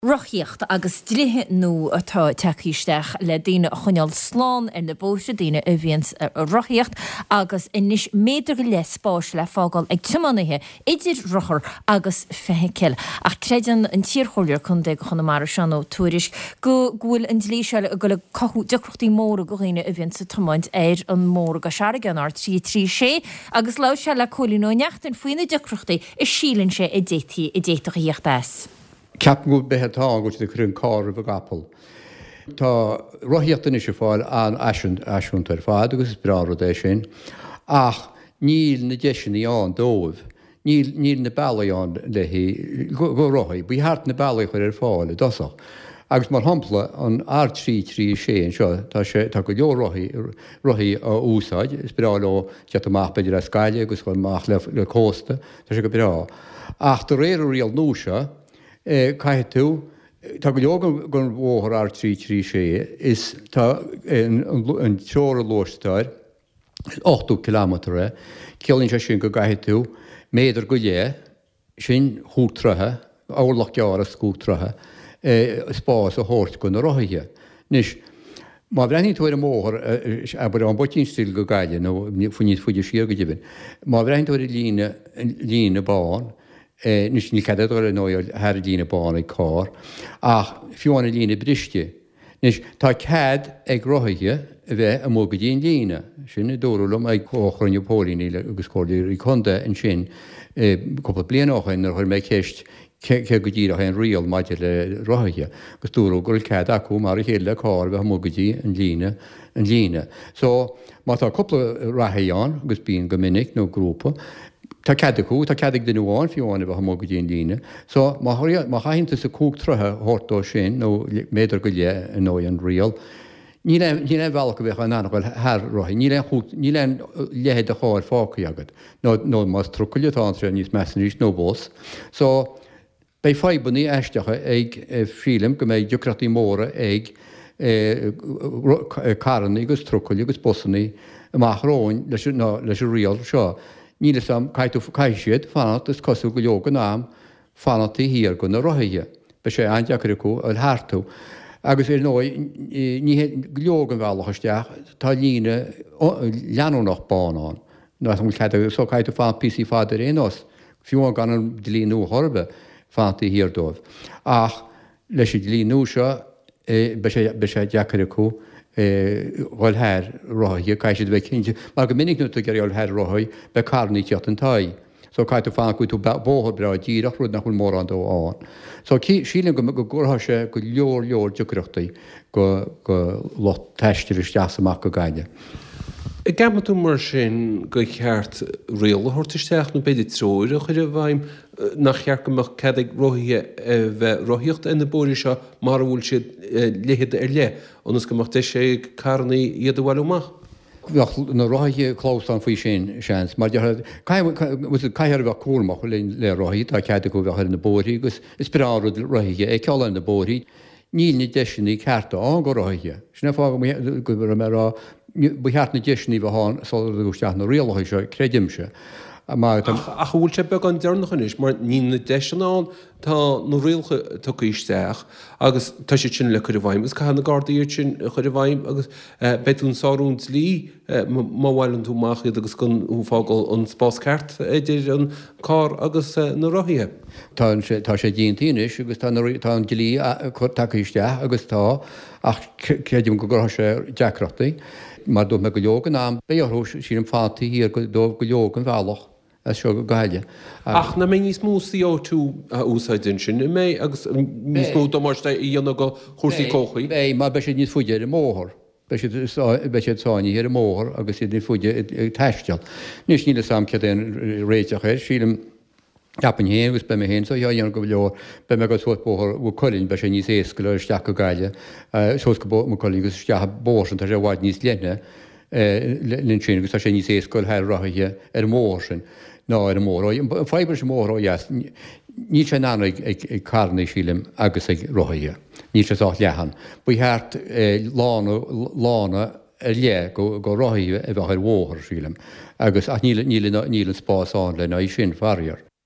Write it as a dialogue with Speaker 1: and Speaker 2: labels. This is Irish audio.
Speaker 1: Rothaíocht agus dlíthe nua atá tagtha isteach le daoine a choinneáil slán ar na bóithre, daoine a bhíonns ag rothaíocht, agus anois méadar go leith spáis le fágáil ag tiománaithe idir rothar agus feithicil. Ach creideann an t-iarchomhairleoir contae do Chonamara, Seán Ó Tuairisg, go bhfuil an dlí seo ag dul ag cothú deacrachtaí móra do dhaoine a bhíonns ag tiomáint ar an mbóthar i gCois Fharraige, an R336, agus labhair sé le Cóilín Ó Neachtain faoi na deacrachtaí a síleann sé a d'fhéadfaí a d'fhéadfadh a thíocht as.
Speaker 2: Ceapaim gurb é atá ann go bhfuil siad ag cur an carr roimh an gcapall. Tá rothaíocht anois ag fáil an-fhaiseanta ar fad agus is breá an rud é sin ach níl na deiseanna ann dóibh. Níl, níl na bealaí ann le haghaidh, go rothaí. Ba cheart na bealaí a chur ar fáil i dtosach. Agus mar shampla, an R336 anseo, tá sé, tá go leor rothaí, rothaí á úsáid, is breá leo teacht amach b'fhéidir as Gaillimh agus dul amach le, le cósta. Tá sé go breá. Ach de réir an riail nua seo, caithfidh tú, tá go leor den bhóthar R336, is tá an treoir luais atá air, 80 kilometre é, ciallaíonn sé sin go gcaithfidh tú méadar go leith, sin chúig troithe, orlach gearr is cúig troithe, spás a thabhairt do na rothaithe. Anois, má bhreathnaíonn tú ar an mbóthar, abair ón bPoitín Stil go Gaillimh, nó níos faide siar go deimhin, má bhreathnaíonn tú ar an líne, líne bán, anois níl cead ag dul ar ndóigh thar an líne bán ag carr, ach fiú amháin an líne briste, Anois, tá cead ag rothaithe a bheith amuigh go dtí an líne. Sin a dúradh liom ag comhchruinniú póilíní agus comhairleoirí contae ansin cúpla bliain ó shin nuair a chuir mé ceist céard go díreach é an riail maidir le rothaithe agus dúradh go raibh cead acu mar a chéile le carr a bheith amuigh go dtí an líne an líne. So, má tá cúpla reathaí ann, agus bíonn go minic, nó grúpa, Tá cead acu, tá cead ag duine amháin fiú amháin a bheith amuigh go dtí an líne. So, má má chaitheann tusa cúig troithe a thabhairt dó sin, nó méadar go leith, ar ndóigh, an riail, níl aon, níl aon bhealach go bheadh in ann a dhul thar rothaí, níl aon chúig, níl aon leithead de charr fágtha agat, nó, nó más trucail atá ann, tá sé níos measa arís, nó bus. So, Beidh fadhbanna aisteacha ag, sílim go mbeidh deacrachtaí móra ag carranna agus trucailí agus busanna amach romhainn leis an leis an riail seo. Níl fhios a'm, caithfidh tú, caithfidh siad fanacht, is cosúil go leor den am, fanacht taobh thiar de na rothaithe. Beidh sé an-deacair acu a dhul tharstu. Agus ar ndóigh, ní hé, go leor den bhealach isteach, tá líne leanúnach bán ann. Nach bhfuil cead acu, so caithfidh tú fanacht píosaí fada ar aon nós. fiú amháin gan an dlí nua chor ar bith, fanacht taobh thiar dóibh. Ach leis an dlí nua seo, beidh sé, beidh sé deacair acu dhul thar rothaithe, caithfidh siad a bheith cinnte, mar go minic nuair atá tú ag iarraidh dhul thar rothaí, beidh carranna ag tíocht in t'aghaidh. So caithfidh tú fanacht go bhfaighidh tú bóthar breá díreach, rud nach bhfuil mórán dó ann. So sílim go gcruthóidh sé go leor leor deacrachtaí go, go lucht taistil isteach is amach go Gaillimh.
Speaker 3: An gceapann tú mar sin gur cheart riail a thabhairt isteach, nó b'fhéidir treoir a chur i bhfeidhm, nach cheart go mbeadh cead ag rothaithe a bheith ag rothaíocht ar na bóithre seo mara bhfuil siad leithead ar leith, ionas go mbeadh deis ag carranna iad a bhailiú amach?
Speaker 2: Bheadh na rothaithe clamhsán faoi sin, seans, mar déarfá, caithfear a bheith cúramach le rothaithe, tá cead acu a bheith ar na bóithre agus is breá an rud rothaithe a fheiceáil ar na bóithre. Níl na deiseanna cearta ann go rothaithe. Sin an fáth go raibh mé ag rá ba cheart na deiseanna a bheith ann sular tugadh isteach na rialacha seo, creidimse.
Speaker 3: Mar tá. Ach an bhfuil sé beagán deireanach anois mar níl na deiseanna ann, tá na rialacha tugtha isteach agus tá siad sin le cur i bhfeidhm agus caithfidh na Gardaí iad sin a chur i bhfeidhm agus beidh tú ag sárú an dlí má bhaileann tú amach iad agus gan thú ag fágáil an spás ceart idir an carr agus na rothaithe.
Speaker 2: Tá sé, tá sé déanta anois agus tá na, tá an dlí tagtha isteach agus tá, ach creidim go gcruthóidh sé deacrachtaí. Mar dúirt mé go leor den am, beidh orthu, sílim, fanacht taobh thiar dóibh go leor den bhealach as seo go Gaillimh.
Speaker 3: Ach nach mbeidh níos mó CO2 á úsáid ansin, an mbeidh, agus níos mó damáiste a dhéanamh do chúrsaí comhshaoil?
Speaker 2: Beidh, mar beidh siad níos faide ar an mbóthar. Beidh siad, beidh siad sáinnithe ar an mbóthar agus iad níos faide ag taisteal. Anois níl 'fhios a'm céard é an réiteach air, sílim, Ceapaim féin, agus beidh mé féin á dhéanamh go leor, beidh mé ag dul suas Bóthar Mhaigh Cuilinn, beidh sé níos éasca le isteach go Gaillimh, suas go Maigh Cuilinn agus isteach an bóthar sin, tá sé i bhfad níos leithne ansin agus tá sé níos éasca dul thar rothaithe ar an mbóthar sin ná ar an mbóthar ó dheas. An fadhb leis an mbóthar ó dheas, níl sé in ann ag carranna, sílim, agus ag rothaithe. Níl sé sách leathan. Ba cheart lána, lána ar leith go rothaithe a bheadh ar bhóthar, sílim, agus, ach níl, níl, níl an spás ann lena aghaidh sin, faraor.